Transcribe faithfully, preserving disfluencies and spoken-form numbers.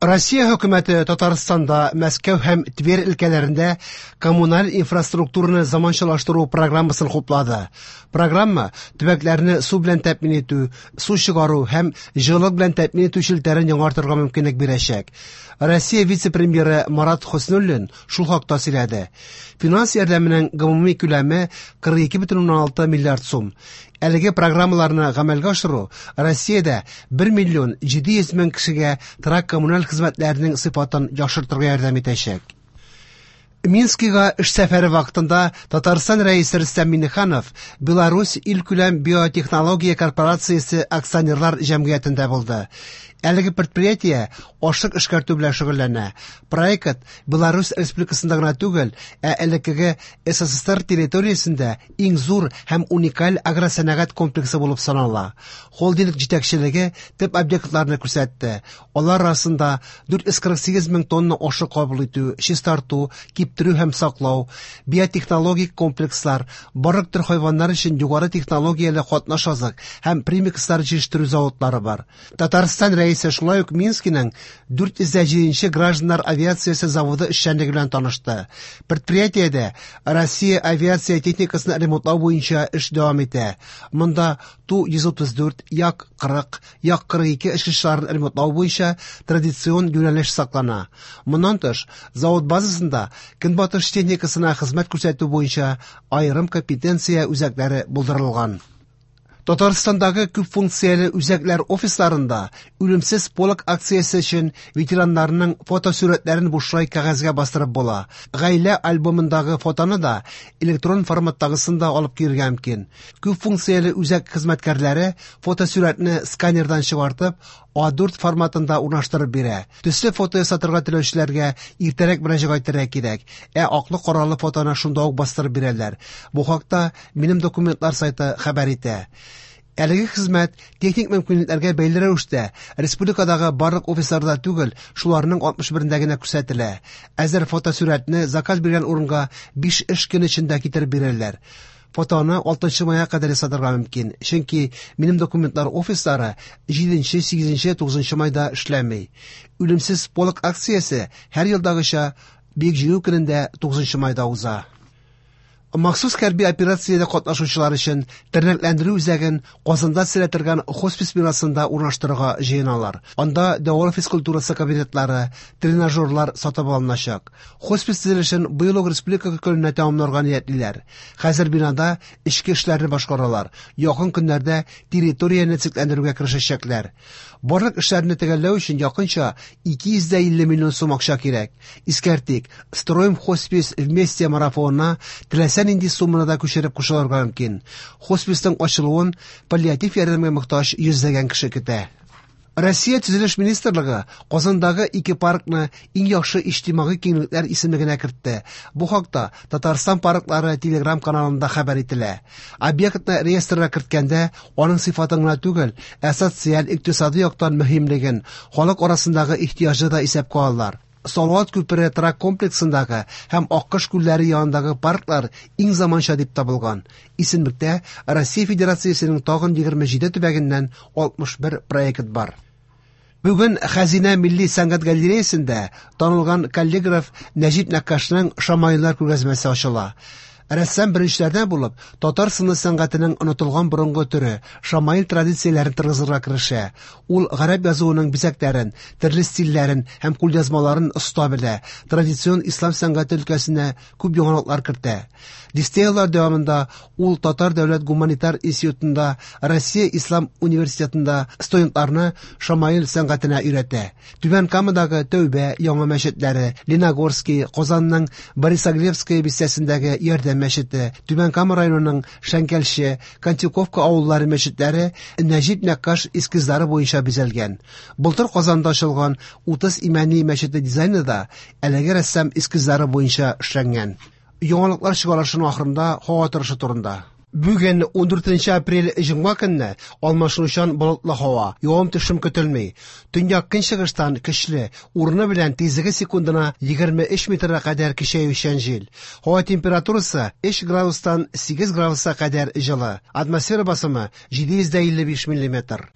Россия хөкүмәте Татарстанда, Мәскәү һәм Тверь өлкәләрендә коммуналь инфраструктураны заманчалаштыру программасын хуплады. Программа төбәкләрне су белән тәэмин итү, су чыгару һәм җылылык белән тәэмин итү челтәрен яңартырга мөмкинлек бирәчәк. Россия вице-премьеры Марат Хөснуллин шул хакта сөйләде. Финанс ярдәменең гомуми күләме кырык ике бөтен уннан алты миллиард сум. Әлеге программаларны гамәлгә ашыру Россиядә бер миллион җиде йөз мең кешегә торак коммуналь хезмәтләренең сыйфатын яхшыртырга ярдәм итәчәк. Минскига эш сәфәре вакытында Татарстан рәисе Рөстәм Миңнеханов Беларусь илкүләм биотехнология корпорациясе акционерлар җәмгыятендә булды. Әлеге предприятие ашлык эшкәртү белән шөгыльләнә. Проект Беларусь Республикасында гына түгел, ә элеккеге СССР территориясендә иң зур һәм уникаль агросәнәгать комплексы булып санала. Холдинг җитәкчелеге төп объектларны күрсәтте. Алар арасында дүрт йөз кырык сигез мең тонна ашлык кабул итү, чистарту, киптерү һәм саклау, биотехнологик комплекслар, барлык төр хайваннар өчен югары технологияле катнаш азык һәм премикслар җитештерү заводлары бар. Татарстан рәисе шулай ук Минскиның дүрт йөз җиденче гражданнар авиациясе заводы эшчәнлеге белән танышты. Предприятиедә Россия авиация техникасын ремонтлау буенча эш дәвам итә. Монда Ту йөз утыз дүрт, Як кырык, Як кырык ике очкычларын ремонтлау буенча традицион юнәлеш саклана. Моннан тыш, завод базасында көнбатыш техникасына хезмәт күрсәтү буенча аерым компетенция үзәкләре булдырылган. Татарстандагы күп функцияле үзәкләр офисларында үлемсез полк акциясе өчен ветераннарның фотосурәтләрен бушлай кәгазьгә бастырып була. Гаилә альбомындагы фотоны да электрон форматтагысын да алып килергә мөмкин. Күп функцияле үзәк хезмәткәрләре фотосурәтне сканердан чыгартып, А дүрт форматында урнаштырып бирә. Төсле фото ясатырга теләүчеләргә иртәрәк мөрәҗәгать итәргә кирәк, ә аклы-каралы фотоны шунда ук бастырып бирәләр. Бу хакта Минем документлар сайты хәбәр итә. Әлеге хезмәт техник мөмкинлекләргә бәйле рәвештә республикадагы барлык офисларда түгел, шуларның алтмыш берендә генә күрсәтелә. Әзер фотосурәтне заказ биргән урынга биш эш көне эчендә китереп бирәләр. Фотоны алтынчы майга кадәр ясатырга мөмкин, чөнки Минем документлар офислары җиденче, сигезенче, тугызынчы майда эшләми. Үлемсез полк акциясе һәр елдагыча Бөек Җиңү көнендә тугызынчы майда уза. Махсус хәрби операциядә катнашучылар өчен тернәкләндерү үзәген Казанда төзелә торган хоспис бинасында урнаштырырга җыеналар. Анда дәвалау физкультурасы кабинетлары, тренажерлар сатып алыначак. Хоспис төзелешен быел ук республика көненә тәмамларга ниятлиләр. Хәзер бинада эчке эшләрне башкаралар. Якын көннәрдә территорияне төзекләндерүгә керешәчәкләр. Барлык эшләрне төгәлләү өчен якынча ике йөз дә илле миллион сум акча кирәк. Искәртик, Строим хоспис вместе марафонына теләсә нинди сумманы да күчереп кушылырга мөмкин. Хосписның ачылуын паллиатив ярдәмгә мохтаҗ йөзләгән кеше көтә. Россия Төзелеш министрлыгы Казандагы ике паркны иң яхшы иҗтимагый киңлекләр исемлегенә кертте. Бу хакта Татарстан парклары Telegram каналында хәбәр ителә. Объектны реестрга керткәндә аның сыйфатын гына түгел, ә социаль, икътисади яктан мөһимлеген, халык арасындагы ихтыяҗны да исәпкә алалар. Салават күпере торак комплексындагы һәм Аккош күлләре янындагы парклар иң заманча дип табылган. Исемлектә Россия Федерациясенең тагын егерме җиде төбәгеннән алтмыш бер проект бар. Бүген Хәзинә милли сәнгать галереясендә танылган каллиграф Нәҗип Нәккашның шамаиллар күргәзмәсе ачыла. Рәссам беренчеләрдән булып татар сыны сәнгатенең онытылган борынгы төре шамаил традицияләрен торгызырга керешә. Ул гарәп язуының бизәкләрен, төрле стильләрен һәм кулъязмаларын оста белә, традицион ислам сәнгате өлкәсенә күп яңалыклар кертә. Дистә еллар дәвамында ул Татар дәүләт гуманитар институтында, Россия ислам университетында студентларны шамаил сәнгатенә өйрәтә. Түбән Камадагы Тәүбә яңа мәчетләре, Леногорский, Казанның Борисоглебская бистәсендәге Ярдәм мәчете, Түбән Кама районының Шәңкәлче, Кантюковка авыллары мәчетләре Нәҗип Нәккаш эскизлары буенча бизәлгән. Былтыр Казанда ачылган Утыз Имәни мәчете дизайны да әлеге рәссам эскизлары буенча эшләнгән. Яңалыклар чыгарылышының ахырында һава торышы турында. Бүген ундүртенче апрель җомга көнне алмашынучан болытлы һава, явым-төшем көтелми. Төньяк көнчыгыштан көчле, урыны белән тизлеге секундына егерме өч метрга кадәр көчәючән җил. Һава температурасы өч градустан сигез градуска кадәр җылы. Атмосфера басымы җиде йөз дә илле биш миллиметр.